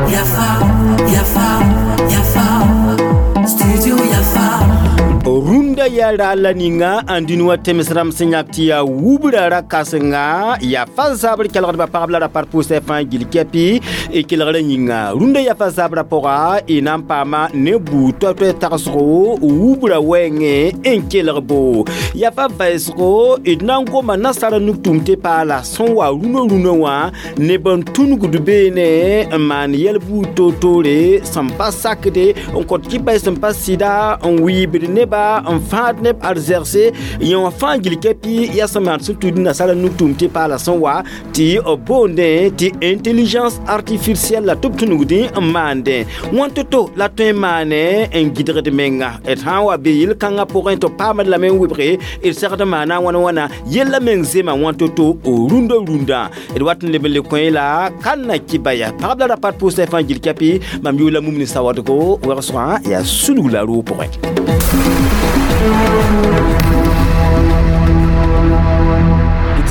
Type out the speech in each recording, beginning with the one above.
Yafa, Yafa, Yafa, Studio Yafa. Rũndã yaa raal la ninga n dũni wã tems rãmb sẽn yãk tɩ yaa wubra ra kãsenga yaa fa zabr kelgdbã pagb la ra par pʋʋsɛ fãa gill kɛpɩ y kelgrã yĩnga. Rũndã yaa fa zabrã pʋga y na n paama ne buud toay-toay tagsgo wubra wɛɛngẽ n kelg bo. Yaa fa vɛɛsgo d na n goma nasara nug-tʋʋm tɩ paala sẽn wa rũnã rũnã wã neb n tũnugd beene n maan yɛl buud toor-toore sẽn pa sakde n kõt kɩpa sẽn pa sɩda n wɩɩbd neba n fãad neb arzɛgse yẽ wã fãa gill kɛpɩ yaa sẽn maan sẽn tud nasara nug-tʋʋm tɩ paala sẽn wa tɩ b boondẽ tɩ intelligence artificielle la tɩ b tũnugdẽ n maandẽ. Wãn to-to la tõe n maane n gɩdgd menga d sã n wa be yel-kãngã pʋgẽ tɩ b paamd lame n wɩbge d segd n maana wãn wãna yellã meng zema wãn to-to rũndã rũndã. D wat n leb n le kõ la kãnna kɩbaya pagb la ra pat pʋʋsɛ fãa gill kɛpɩ mam yʋʋla mum ne sawadgo wɛgsgã yaa sulg la roog pʋgẽ.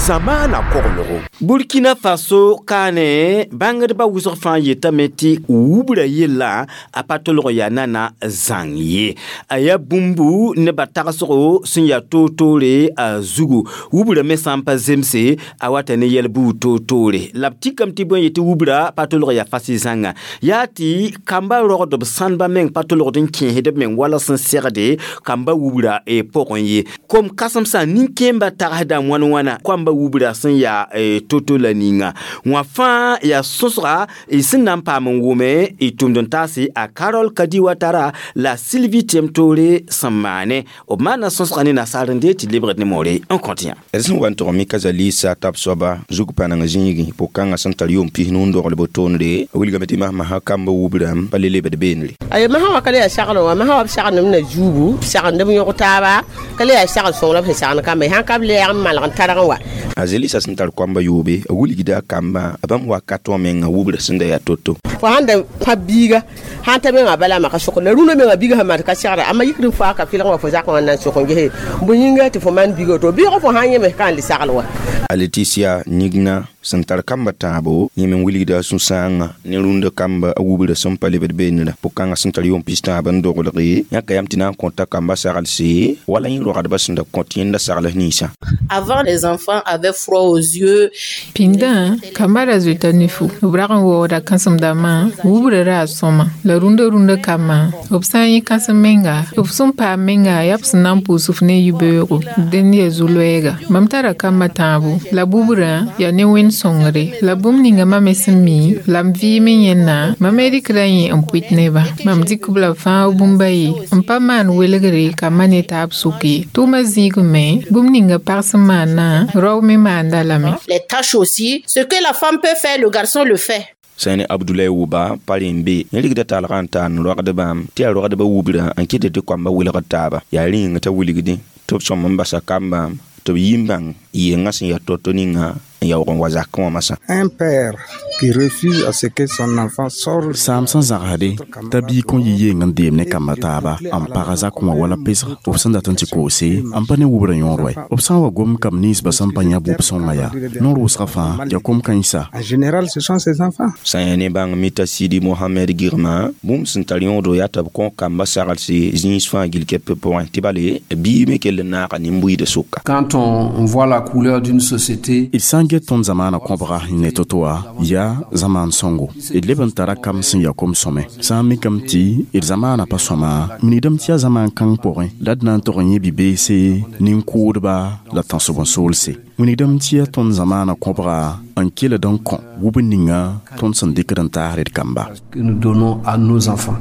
Zamaana koglgo. Burkina Faso kaane bãngdbã wʋsg fãa yetame tɩ wubra yella a pa tolg yaa nana zãng ye. A yaa bũmbu nebã tagsgo sẽn yaa toor-toore a zugu. Wubra me sã n pa zemse a wata ne yɛl buud toor-toore. La b tikame tɩ bõe yetɩ wubra pa tolg yaa fas zãnga. Yaa tɩ kamba rogdb sãndbã meng pa tolgd n kẽesd b meng wala sẽn segde kamba wubra pʋgẽ ye. Kom kãsemsã nin-kẽembã tagsda wãn-wãna koamba wubra sẽn yaa to-to la ninga. Wã fãa yaa sõsga y sẽn na n paam n wʋme y tʋmd n taase a Carol Kadi Watara la Sylvie Tiemtore sẽn maane. B maana sõsga ne nasaar n dee tɩ lebgd ne moore n kõt yã. D sẽn wa n tog mika zalisa tab soaba zug pãneng zĩigi pʋg-kãngã sẽn tar yʋʋm 90 n dogl bo-toonre a wilgame tɩ masmasã kamba wubrã pa le lebd beenre. Ayo masã wã ka le yaa sagl wã, masã wa b sagndem na zuubu, sagndem yõg taaba, ka le yaa sagl sõng la b sẽn sagn kamba sãn ka b lɛɛg n malg n targ n wa. A zelisa sẽn tar koamba yoobe a wilgda a kamba a bãmb wakat wã menga wubra sẽn da yaa to-to. Fo sãn da pãb biiga sãn ta menga bala maka sʋk la rũnã menga biiga sẽn maan ka segra amma yikd n faa ka fɩlg wã fo zakã wã na n sʋk n gese bõe yĩnga tɩ fo maan biiga to biig fo sãn yẽ ka n le sagl wa. A Leticia Nigna sẽn tar kamba tãabo yẽ me wilgda a sũ-sãangã ne rũndã kamba a wubra sẽn pa lebd beenra pʋg-kãngã sẽn tar yʋʋm 90 n doglge yãka yam tɩ na n kõta kamba saglse wala yẽ rogdbã sẽn da kõt yẽnda sagls ninsã. Avant, les enfants avaient froid aux yeux. Pĩndã kamba ra zoeta nifu b rag n waooda kãsem-dãmbã wubra ra a sõma la rũndã rũndã kambã b sã n yẽ kãsem menga b sẽn paam menga yaa b sẽn na n pʋʋs f ne yibeoogo dẽnd yaa zu-loɛɛga. Mam tara kamba tãabo la bubrã yaa ne wẽnd sõngre la bũmb ninga mam me sẽn mi la m vɩɩm n yẽnna mam me rɩkda yẽ n pʋɩt nebã. Mam dɩk b la fãa bũmba ye n pa maan welgre kambã ne taab sʋk ye. Tʋʋmã zĩigme bũmb ninga pag sẽn maannã rao me maanda lame. Les tâches aussi, ce que la femme peut faire, le garçon le fait. Sã ne Abdoulaye Wuba pa rẽ n be yẽ rigda talgã n taan rogdbã tɩ yaa rogdbã wubra n kɩt tɩ koamba wilgd taaba yaa rĩng t'a wilgdẽ tɩ b sõm n basa kamba tɩ b yi n bãng yengã sẽn yaa to-to ninga n yaoog n wa zakẽ wã masã. Un père qui refuse à ce que son enfant sorte Saam sẽn zagsde t'a biig kõn yɩ yeng n deem ne kamba taaba n paga zakẽ wã wala pesg b sẽn dat n tɩ koose n pa ne wubra yõor wɛ. B sã n wa gom kam ninsbã sẽn pa yã bʋb sõnga yaa noor wʋsgã fãa yaa kom-kãensã. En général, ce sont ses enfants. Sã n yaa ne bãng mita Sidi Mohamed Girma bũmb sẽn tar yõodo yaa tɩ b kõ kamba saglse zĩis fãa gill kɛp pʋgẽ tɩ bale biig me kell n naaga nin-buiidã sʋka. Quand on voit la couleur d'une société, D sã n get tõnd zamaanã kõbga n ne to-to wã yaa zamaan sõngo. D leb n tara kam sẽn yaa kom-sõme. Sã n mikame tɩ d zamaanã pa sõma minigdame tɩ yaa zamaan kãng pʋgẽ la d na n tog n yẽ bi-beese nin-kʋʋdba la tãnsb n soolse. Wilgdame tɩ yaa tõnd zamaanã kõbga n keled n kõ wub ninga tõnd sẽn dɩkd n taasd d kamba. Que nous donnons à nos enfants.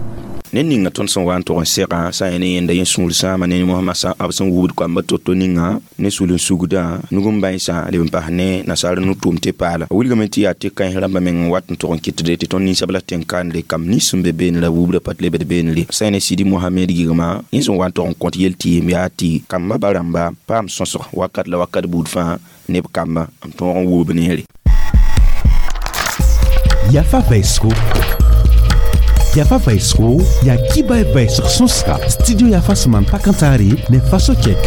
Ne ninga tõnd sẽn wa n tog n segã sã n yaa ne yẽnda yẽ sũur sãama ne mosmã b sẽn wubd koamba to-to ninga ne sul n sugdã nug n bãensã leb n pas ne nasaar no-tʋʋm tɩ paala. A wilgame tɩ yaa tɩ kãens rãmbã meng n wat n tog n kɩtde tɩ tõnd ninsab la tẽn-kandre kam nins sẽn be beene la wubra pa tɩ lebd beenre. Sã n ne Sidi Mohamed Girma yẽ sẽn wa n tog n kõt yel tɩɩm yaa tɩ kamba ba rãmba paam sõsg wakat la wakat buud fãa neb kamba n tõog n wub neere. Yafa vaisgo. Yafa vaisgo ya kiba vaisg sõsga studio Yafa sẽn maan pak n taare ne Faso kɛk.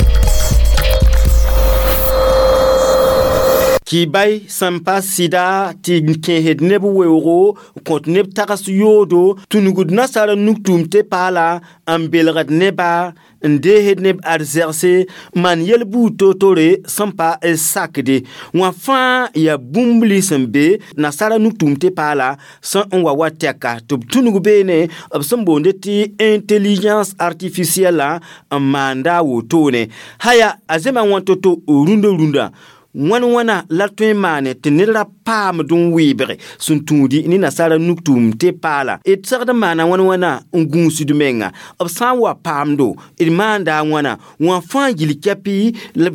Kibay sẽn pa sɩda tɩ kẽesd neb weoogo kõt neb tags yoodo tũnugd nasaar nugtʋʋm tɩ paala n belgd neba n deesd neb arzɛgse maan yel-buud toor-toore sẽn pa sakde wã fãa yaa bũmb lins n be nasaara nugtʋʋm tɩ paala sẽn n wa wa tɛka tɩ b tũnug beene b sẽn boonde tɩ intelligence artificielle n maanda a wotone haya a zema wã to-to rũndã wãn wãna la tõe n maane tɩ ned ra paamd n weebge sẽn tũudi ne nasaara nugtʋʋm tɩ paala d segd n maana wãn wãna n gũusd menga b sã n wa paamdo d maanda a wãna wã fãa gil kɛpɩ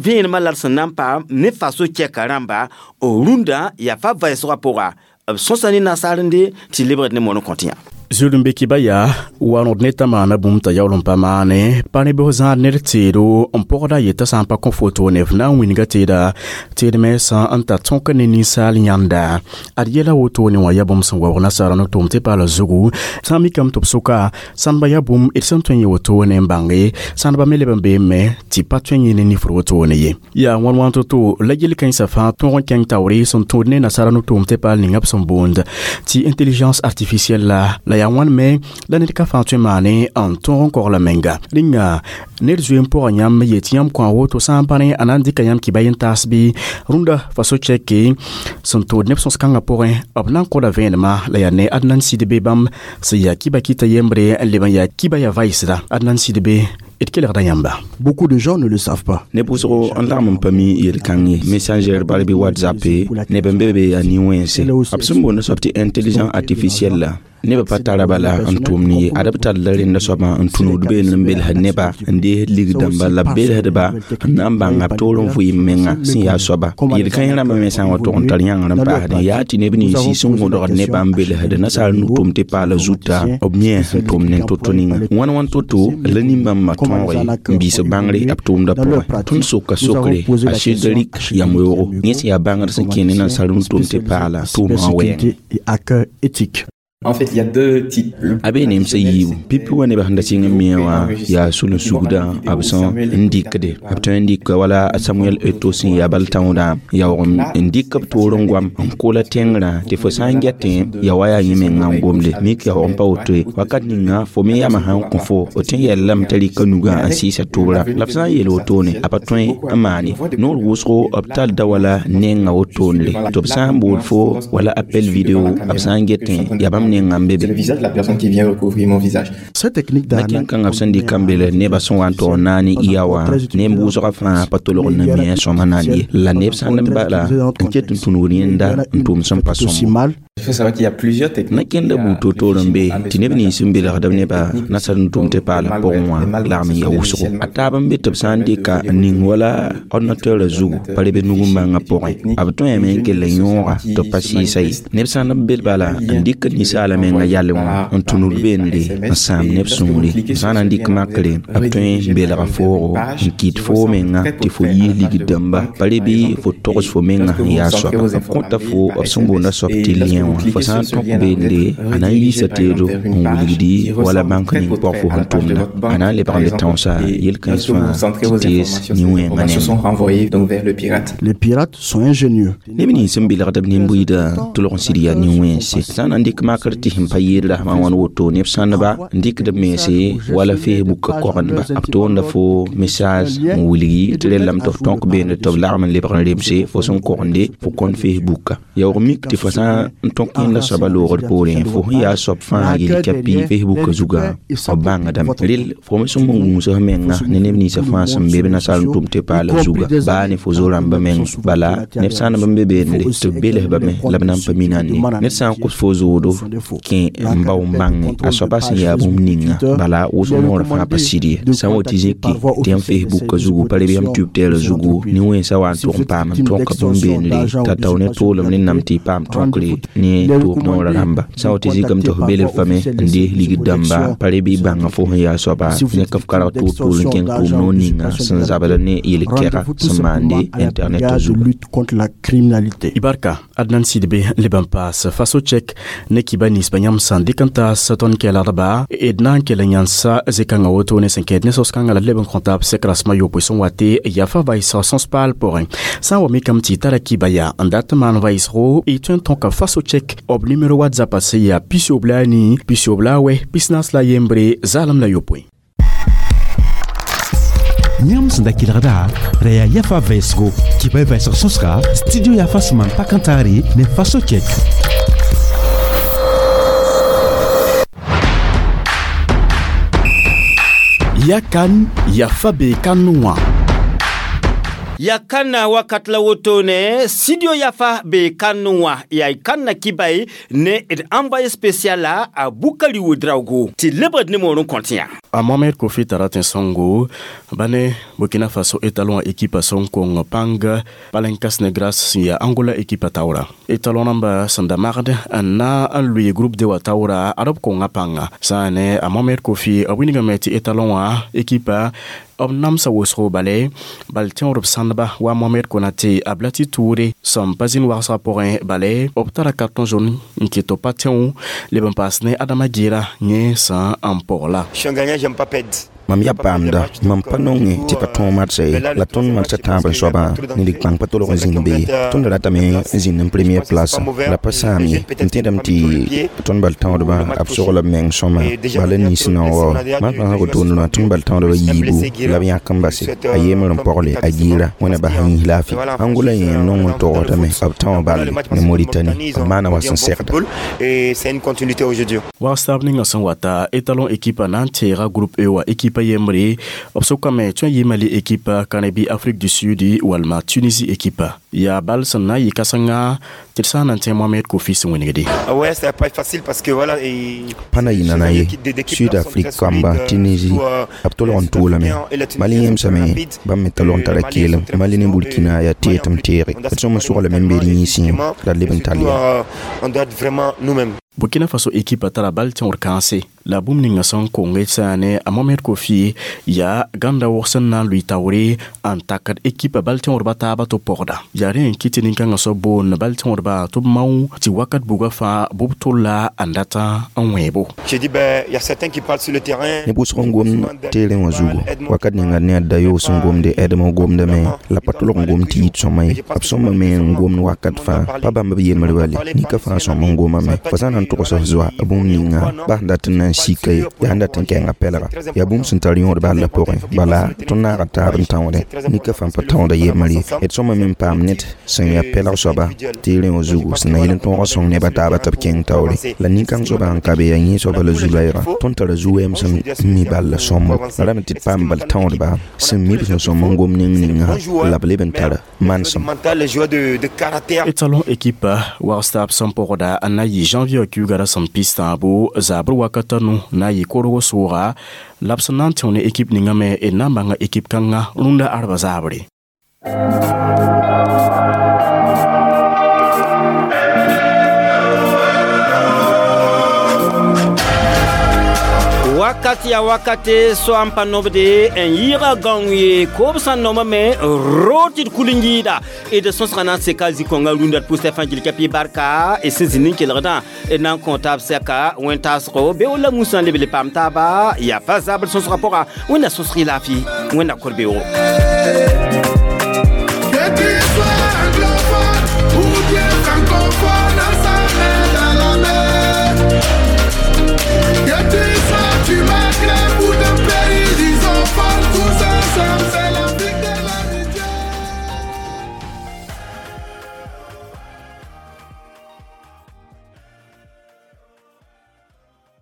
vẽenemã la d sẽn na n paam ne faso kɛka rãmba rũndã yaa fa vɛɛsgã pʋga b sõsa ne nasaarende tɩ lebgd ne moon n kõt yã. Zulum be kiba yaa wa-rõd ne t'a maana bũmb t'a yaool n pa maane pa ne bs zãad ned teedo n pɔgda yetã sã n pa kõ foto ne f na n wĩnga teeda teedmẽ sã n tar tõk ne ninsaal yãnda ad yɛla wotone wã yaa bũmb sẽn waoog nasaara no-tʋʋm tɩ paala zugu sã n mikame tɩ b sʋka sãndba yaa bũmb d sẽn tõe n yẽ wotone n bãnge sãndba me leb n beeme tɩ pa tõe n yẽ ne nifr wotone ye yaa wãn wãn to-to la yel-kãensã fãa tõog n kẽng taoore sẽn tũud ne nasaara no-tʋʋm tɩ paal ninga b sẽn boond tɩ intelligence artificielle la yaa wãn me la ned ka fãa tõe maane n tõog n kogla menga rĩnga ned zoe n pʋga yãmb yetɩ yãmb kõ a woto sã n pa ne a na n dɩka yãmb kɩba yen-taas bɩ rũndã faso chɛke sẽn tʋʋd neb sõs-kãngã pʋgẽ b na n kõda vẽenemã la yaa ne Adnan Sidibé bãmb sẽn yaa kiba kɩta yembre n leb n yaa kiba yaa vaɩsda Adnan Sidibé d kelgda yãmba. Beaucoup de gens ne le savent pas. Neb wʋsgo n lagm n pa mi yel-kãng ye messenger bal bɩ WhatsApp neb n be be yaa nin-wẽnse b sẽn boond soab tɩ intelligence artificielle la nebã pa tara bala n tʋʋmd ye ad b tar la rẽnda soabã n tũnugd beene n belsd neba n deesd lig-dãmba la b belsdba n na n bãnga b toor n vɩɩm menga sẽn yaa soaba yel-kãens rãmbã me sã n wa tʋg n tar yãngr n paasdẽ yaa tɩ neb nins sẽn gõdgd nebã n belsd nasaar nu-tʋʋm tɩ paala zuta b yẽ sẽn tʋmd ne to-to ninga wãn wãn to-to la nin-bãmbã tõoge n biis bãngre b tʋʋmdã pʋgẽ tõnd soka sokre a Cédric yam-weoogo yẽ sẽn yaa bãngr sẽn kẽ ne nasaar nu-tʋʋm tɩ paala tʋʋmã wɛɛng. Éthique. En fait, il y a deux types. A be nemsa yiibu pipi wa nebã sẽn da sɩng n mia wã yaa sul-n-sugdã b sẽn n dɩkde b tõe n dɩka wala a Samuel Eto'o sẽn yaa bal tãoodã yaoog n dɩk b toor n goam n kola tẽngrã tɩ fo sã n getẽ ya wa yaa yẽ menga n gomde mik yaoog n pa woto ye wakat ninga fo me yamã sã n kõ fo f tõe n yɛllame t'a rɩka nugã n sɩɩsa tʋʋra la f sã n yeel wotone a pa tõe n maan ye noor wʋsgo b tall da wala nenga wotonre tɩ b sã n bool fo wala appel vidéo b sã n getẽ yaa bãmb nenga n be be. C'est le visage de la personne qui vient recouvrir mon visage. Cette technique la kẽn-kãngã b sẽn dɩk n bel nebã sẽn wa n tog n naane iya wã neb wʋsgã fãa pa tolg n na mi sõma naan ye la neb sã n bala n ket n tũnugd yẽnda n tʋʋm sẽn pa sõmbo. Il faut savoir qu'il y a plusieurs techniques. Na kẽnda buud toor-toor n be tɩ neb nins n belgd b nebã nasaar n tʋʋm tɩ paala pʋgẽ wã lagm n ya wʋsgo a taab n be tɩ b sã n dɩka n ning wala ordinateur zugu pa rebe nug n bãngã pʋgẽ b tõeme n kell n yõoga tɩ b pa sɩɩsa ye neb sã n bel bala n dɩk ninsaala menga yalẽ wã n tũnud beende n sãam neb sũure b sã n na n dɩk makre b tõe n belga foogo n kɩt foo menga tɩ fo yiis ligd dãmba pa re bɩ fo togs fo menga sẽn yaa soaba b kõta fo b sẽn boonda soab tɩ lien wã fo sã n tõk beende a na n yiisa teedo n wilgdi wala bãnk ning pʋg fo sẽn tʋmda a na n lebg n le tãoosa yel-kãens fãa tɩ tees nin-wẽngã Se sont renvoyés donc vers le pirate. Les pirates sont ingénieux. Neb nins sẽn belgd b nin-buiidã tʋlg n sɩd yaa nin-wẽnse sã n na n dɩk makr tɩ sẽn pa yeel rasmã wãn woto neb sãndba n dɩkd b mense wala Facebook kogendba b toonda fo message n wilgi tɩ rellame tɩ f tõk beende tɩ b lagm n lebg n remse fo sẽn kogende fo kõn Facebook yaoog mik tɩ fo sã n tõk yẽnda soaba loogd poorẽ fo sẽn yaa soab fãa yel-kɛpɩ Facebook zugã b bãngdame rel fo me sẽn gũus f menga ne neb ninsã fãa sẽn be b nasaar n tʋm tɩ paala zuga baa ne fo zo-rãmbã meng bala neb sã n b be beende tɩ b belsba me la b na n pa mina ne ned sã n kos fo zoodo kẽ n bao n bãnge a soaba sẽn yaa bũmb ninga bala wʋsg noorã fãa pa sɩd ye sã n wa tɩ zĩki tɩ yãmb Facebook zugu pa reb yãmb Twitter zugu nin-wẽnsã wa n tʋg n paam n tõka bũmb beendre t'a tao ne toolem ne nam tɩ y paam tõkre. ne Il est tʋʋb noorã recommandé rãmba sã n wa tɩ de zikame tɩ contacter f par belb voie fame officielle n les dees services de ligd dãmba protection. pa re bɩ bãnga fo sẽn yaa soaba Si vous ne êtes ka f karg victime tʋʋg tʋʋl n d'extorsion kẽng tʋʋm d'argent noor ou ninga d'usurpation sẽn zabd ne yel-kɛga Rendez-vous tout sẽn simplement maande à la internet brigade de zugu. lutte contre la criminalité. Ibarka Adnan Sidibé leb n paas faso tchek ne kiba ninsba yãmb sẽn dɩk n taas tõnd kɛlgdba d na n kell n yãnsa zĩ-kãngã woto ne sẽn kɛɛd ne sos-kãngã la d leb n kõ taab sek rasmã yopoe sẽn wa tɩ yafa vaɩsg sõs-paal pʋgẽ sã n wa mikame tɩ y tara kiba yaa n dat n maan vaɩsgo y tõe n tõka faso tchek b nimero WhatsApp sẽn yaa 94 94 61. Yãmb sẽn da kelgda ra yaa yafa vɛɛsgo kibay vɛɛsg sõsga studio yafa sẽn maan pak n taare ne faso chɛk. Ya kan yafa bee kan wã. Ya kanna wakat la woto ne studio yafa be kanu wa ya kanna kibai ne d envoyé spécial la a Bukari Ouedraogo ti lebd ne moron kontiya. A Mohamed Kofi tara tẽn-sõngo ba ne Burkina Faso étalon ekipa sẽn kong pãng Palancas Negras sẽn yaa Angola ekipa taoora. Étalon rãmba sẽn da magd n na n lʋɩ groupe D wã taoora ad b konga pãnga. Sã n ne a Mohamed Kofi b wilgame tɩ étalon wã ekipa b namsa wʋsgo bale bal tẽodb sãndba wa Mohamed Konate a Blati Toure sẽn pa zĩnd wagsgã pʋgẽ bale b tara carton jaune n kɩt tɩ b pa tẽ leb n paas ne Adama Gera yẽ sã n pɔgla. Je suis un gagnant, j'aime pas perdre. Mam yaa paamda mam pa nonge tɩ pa tõog madsã ye la tõnd madsã tãab n soabã ne lig-bãng pa tolg n zĩnd be ye tõnd ratame n zĩnd n premier place la pa sãam ye n tẽdame tɩ tõnd bal tãoodbã b sogla b meng sõma bala nins na n wao marsã sã wotone tõnd bal tãoodbã yiibu la b yãk n base a yemr n pogle a giira wẽna bas n yĩs laafɩ Angola yẽ n nong n togsdame b tão balle ne Mauritanie b maana wa sẽn segda. Et c'est une continuité aujourd'hui. Wagstab ninga sẽn wata étalon ekipa na n teega groupe E wã ekipa yembre b sʋkame tõe n yɩ Mali ekipa Kanabi Afrique du Sud walma Tunisie ekipa yaa bal sẽn na n yɩ kãsenga tɩ d sã n na n tẽ Mohamed Kofi sẽn wẽnegde. Ouais, c'est pas facile parce que voilà et pa na yɩ nana ye Sud Afrique kamba Tunisie b tolg n tʋʋlame Mali yẽmsame bãmb me tolg n tara keelem Mali ne Burkina yaa teet m teege d sõm n soglame n be d yĩnsẽ la d leb n tall yaa. On doit être vraiment nous-mêmes. Burkina Faso ekipa tara bal tẽor kãense la bũmb ninga sẽn kong sã ne a Mohamed Kofi yaa gãnda wʋg sẽn na n lʋɩ taoore n takd ekipa bal tẽodba taaba tɩ b pɔgda yaa rẽ n kɩt tɩ nin-kãngã soab boond bal tẽodba tɩ b mao tɩ wakat buga fãa bʋb tolla n data n wẽebo. J'ai dit ben il y a certains qui parlent sur le terrain. Neb wʋsg n gom teerẽ wã zugu wakat ninga ne a dayoog sẽn gomde ɛdem gomdame la pa tolg n gom tɩ yit sõma ye b sõma me n gomd wakat fãa pa bãmb b yembr bale nika fãa sõm n gomame fo sã n na n togs f zoa bũmb ninga bas n dat n na n sika ye yaa n dat n kɛnga pɛlga yaa bũmb sẽn tar yõod bal la pʋgẽ bala tõnd naaga taab n tãoodẽ nika fãa pa tãooda yembr ye d sõma me n paam ned sẽn yaa pɛlg soaba teerẽ wã zugu sẽn na yel n tõog sõng nebã taaba tɩ b kẽng taoore la nin-kãng soaba n ka be yaa yẽ soaba la zu-loɛɛga tõnd tara zu-wɛɛm sẽn mi bal la sõmbo la rame tɩ d paam bal tãoodba sẽn mi b sẽn sõm n gom ning ninga la b leb n tara manesem. Mental, les joueurs de caractère. Étalon ekipa wagstab sẽn pɔgda n na yɩ janvier kiuga ra sẽn pis tãabo zabr wakata nu na yɩ korgo sʋʋga la b sẽn na n tẽo ne ekip ninga me d na n bãnga ekip kãngã rũndã arba zaabre. Wakat ya wakate so an pa nobde n yɩɩga gãong ye koob sã n nomame rood tɩ d kul n yɩɩda d sõsgã na n seka zĩ-kõngã rũndã d pʋsɛ fãa gil kapi barka d sẽn zĩnd n kelgdã d na n kõ taab sɛka wẽn-taasgo beoog la musã leb le paam taaba yaa fa zabr sõsgã pʋga wẽnna sõsg y laafɩ wẽnna kor beoogo.